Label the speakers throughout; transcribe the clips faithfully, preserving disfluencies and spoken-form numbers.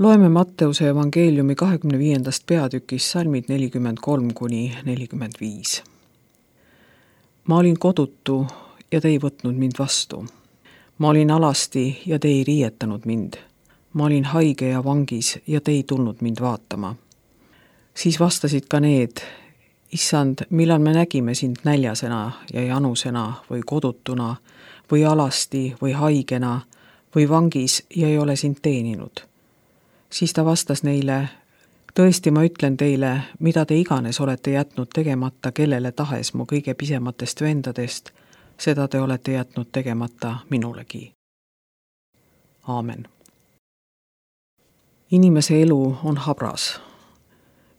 Speaker 1: Loeme Matteuse evangeeliumi kahekümne viiendast peatükist salmid nelikümmend kolm kuni nelikümmend viis. Ma olin kodutu ja te ei võtnud mind vastu. Ma olin alasti ja te ei riietanud mind. Ma olin haige ja vangis ja te ei tulnud mind vaatama. Siis vastasid ka need: Issand, millal me nägime sind näljasena ja janusena või kodutuna või alasti või haigena või vangis ja ei ole sind teeninud. Siis ta vastas neile: tõesti, ma ütlen teile, mida te iganes olete jätnud tegemata kellele tahes mu kõige pisematest vendadest, seda te olete jätnud tegemata minulegi. Aamen. Inimese elu on habras.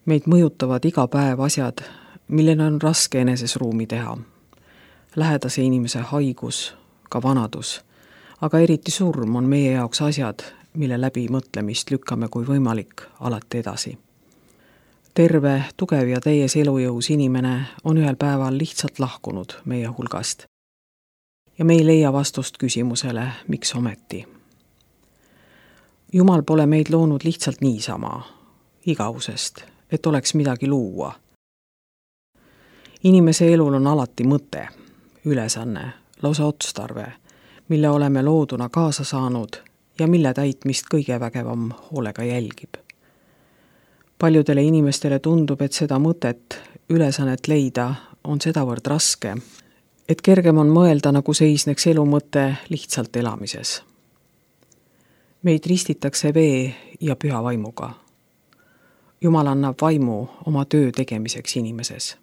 Speaker 1: Meid mõjutavad iga päev asjad, millele on raske eneses ruumi teha. Lähedase inimese haigus, ka vanadus, aga eriti surm on meie jaoks asjad, mille läbi mõtlemist lükkame kui võimalik alati edasi. Terve, tugev ja täies elujõus inimene on ühel päeval lihtsalt lahkunud meie hulgast. Ja me ei leia vastust küsimusele, miks ometi. Jumal pole meid loonud lihtsalt niisama, igavusest, et oleks midagi luua. Inimese elul on alati mõte, ülesanne, lausa otstarve, mille oleme looduna kaasa saanud ja mille täitmist kõige vägevam hoolega jälgib. Paljudele inimestele tundub, et seda mõtet, ülesannet leida on sedavõrd raske, et kergem on mõelda, nagu seisneks elu mõte lihtsalt elamises. Meid ristitakse vee ja püha vaimuga. Jumal annab vaimu oma töö tegemiseks inimeses.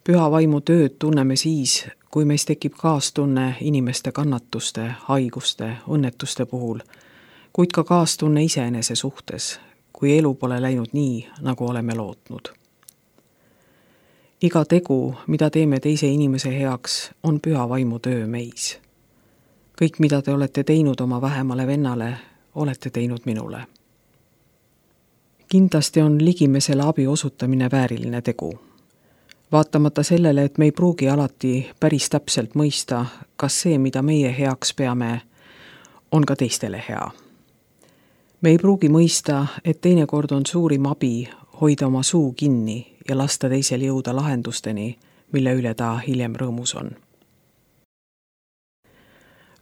Speaker 1: Püha vaimu tööd tunneme siis, kui meis tekib kaastunne inimeste kannatuste, haiguste, õnnetuste puhul, kuid ka kaastunne iseenese suhtes, kui elu pole läinud nii, nagu oleme lootnud. Iga tegu, mida teeme teise inimese heaks, on püha vaimu töö meis. Kõik, mida te olete teinud oma vähemale vennale, olete teinud minule. Kindlasti on ligimesele abi osutamine vääriline tegu. Vaatamata sellele, et me ei pruugi alati päris täpselt mõista, kas see, mida meie heaks peame, on ka teistele hea. Me ei pruugi mõista, et teinekord on suurim abi hoida oma suu kinni ja lasta teisel jõuda lahendusteni, mille üle ta hiljem rõõmus on.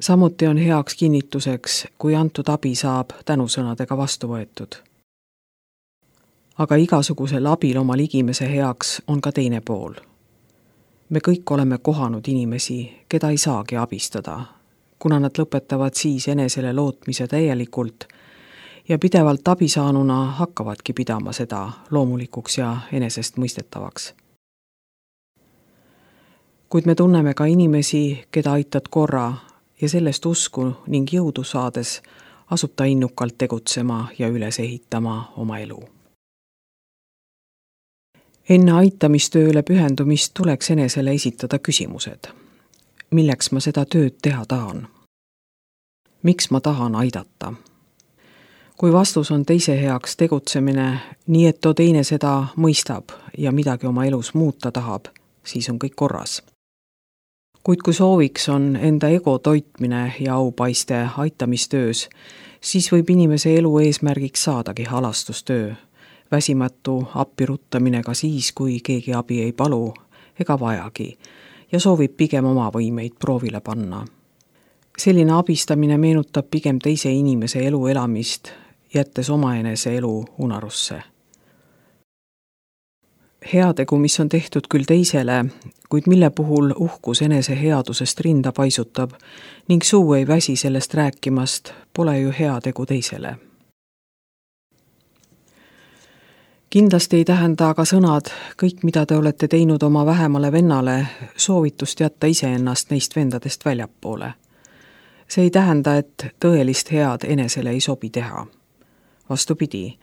Speaker 1: Samuti on heaks kinnituseks, kui antud abi saab tänusõnadega vastu võetud. Aga igasugusel abil oma ligimese heaks on ka teine pool. Me kõik oleme kohanud inimesi, keda ei saagi abistada, kuna nad lõpetavad siis enesele lootmise täielikult ja pidevalt abisaanuna hakkavadki pidama seda loomulikuks ja enesest mõistetavaks. Kuid me tunneme ka inimesi, keda aitad korra ja sellest usku ning jõudu saades asub ta innukalt tegutsema ja üles ehitama oma elu. Enne aitamistööle pühendumist tuleks enesele esitada küsimused. Milleks ma seda tööd teha tahan? Miks ma tahan aidata? Kui vastus on teise heaks tegutsemine, nii et too teine seda mõistab ja midagi oma elus muuta tahab, siis on kõik korras. Kuid kui sooviks on enda ego toitmine ja aupaiste aitamistöös, siis võib inimese elu eesmärgiks saadagi halastustöö, väsimatu appiruttamine ka siis, kui keegi abi ei palu ega vajagi ja soovib pigem oma võimeid proovile panna. Selline abistamine meenutab pigem teise inimese elu elamist, jättes omaenese elu unarusse. Heategu, mis on tehtud küll teisele, kuid mille puhul uhkus enese headusest rinda paisutab ning suu ei väsi sellest rääkimast, pole ju heategu teisele. Kindlasti ei tähenda aga sõnad, kõik mida te olete teinud oma vähemale vennale, soovitust jätta iseennast neist vendadest väljapoole. See ei tähenda, et tõelist head enesele ei sobi teha. Vastupidi,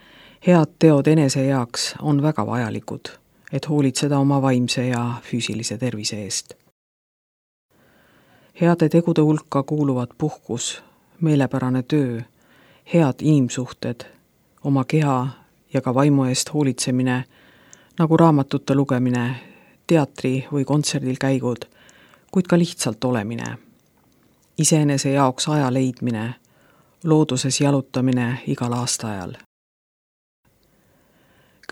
Speaker 1: head teod enese heaks on väga vajalikud, et hoolitseda oma vaimse ja füüsilise tervise eest. Heade tegude hulka kuuluvad puhkus, meelepärane töö, head inimsuhted, oma keha ja ka vaimu eest hoolitsemine, nagu raamatute lugemine, teatri või kontserdil käigud, kuid ka lihtsalt olemine. Iseenese jaoks aja leidmine, looduses jalutamine igal aastaajal.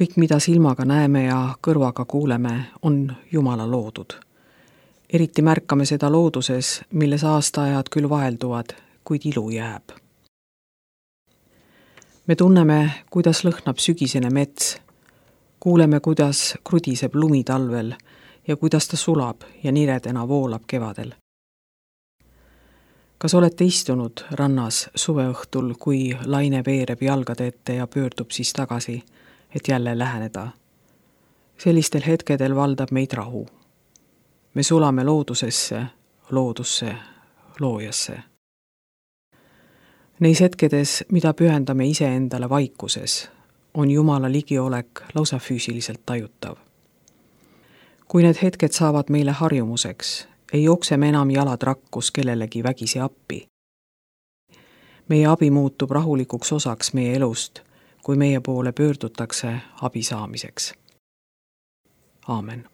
Speaker 1: kõik, mida silmaga näeme ja kõrvaga kuuleme, on Jumala loodud. eriti märkame seda looduses, milles aastaajad küll vahelduvad, kuid ilu jääb. me tunneme, kuidas lõhnab sügisene mets, kuuleme, kuidas krudiseb lumi talvel ja kuidas ta sulab ja niredena voolab kevadel. kas olete istunud rannas suveõhtul, kui laine veereb jalgade ette ja pöördub siis tagasi, et jälle läheneda? sellistel hetkedel valdab meid rahu. me sulame loodusesse, loodusse, loojasse. Neis hetkedes, mida pühendame iseendale vaikuses, on Jumala ligiolek lausa füüsiliselt tajutav. kui need hetked saavad meile harjumuseks, ei jookse me enam jalad rakkus kellelegi vägisi appi. meie abi muutub rahulikuks osaks meie elust, kui meie poole pöördutakse abi saamiseks. Aamen.